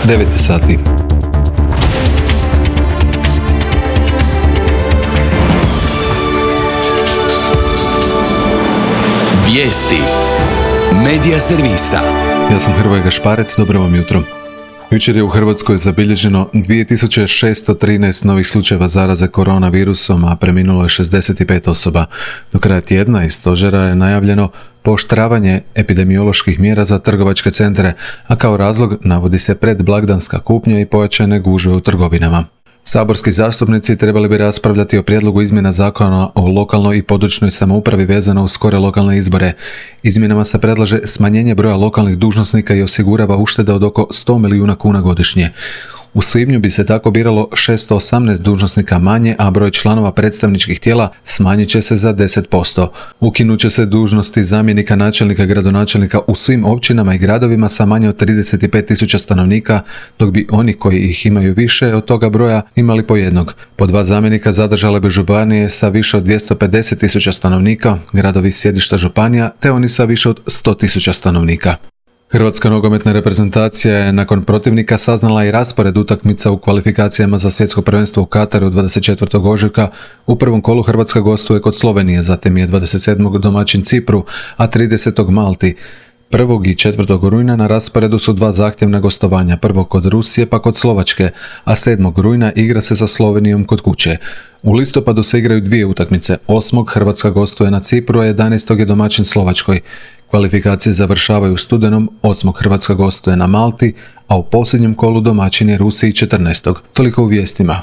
9 sati. Vijesti Medija servisa. Ja sam Hrvoje Gašparec, dobro vam jutro. Jučer je u Hrvatskoj zabilježeno 2613 novih slučajeva zaraze koronavirusom, a preminulo je 65 osoba. Do kraja tjedna iz stožera je najavljeno pooštravanje epidemioloških mjera za trgovačke centre, a kao razlog navodi se predblagdanska kupnja i pojačane gužve u trgovinama. Saborski zastupnici trebali bi raspravljati o prijedlogu izmjena zakona o lokalnoj i područnoj samoupravi vezano uz skore lokalne izbore. Izmjenama se predlaže smanjenje broja lokalnih dužnosnika i osigurava ušteda od oko 100 milijuna kuna godišnje. U svibnju bi se tako biralo 618 dužnosnika manje, a broj članova predstavničkih tijela smanjit će se za 10%. Ukinut će se dužnosti zamjenika načelnika, gradonačelnika u svim općinama i gradovima sa manje od 35.000 stanovnika, dok bi oni koji ih imaju više od toga broja imali po jednog. Po 2 zamjenika zadržale bi županije sa više od 250.000 stanovnika, gradovi sjedišta županija, te oni sa više od 100.000 stanovnika. Hrvatska nogometna reprezentacija je nakon protivnika saznala i raspored utakmica u kvalifikacijama za svjetsko prvenstvo u Kataru 24. ožujka. U prvom kolu Hrvatska gostuje kod Slovenije, zatim je 27. domaćin Cipru, a 30. Malti. 1. i 4. rujna na rasporedu su 2 zahtjevna gostovanja, prvo kod Rusije pa kod Slovačke, a 7. rujna igra se sa Slovenijom kod kuće. U listopadu se igraju 2 utakmice, 8. Hrvatska gostuje na Cipru, a 11. je domaćin Slovačkoj. Kvalifikacije završavaju u studenom, 8. Hrvatska gostuje na Malti, a u posljednjem kolu domaćin je Rusiji 14. Toliko u vijestima.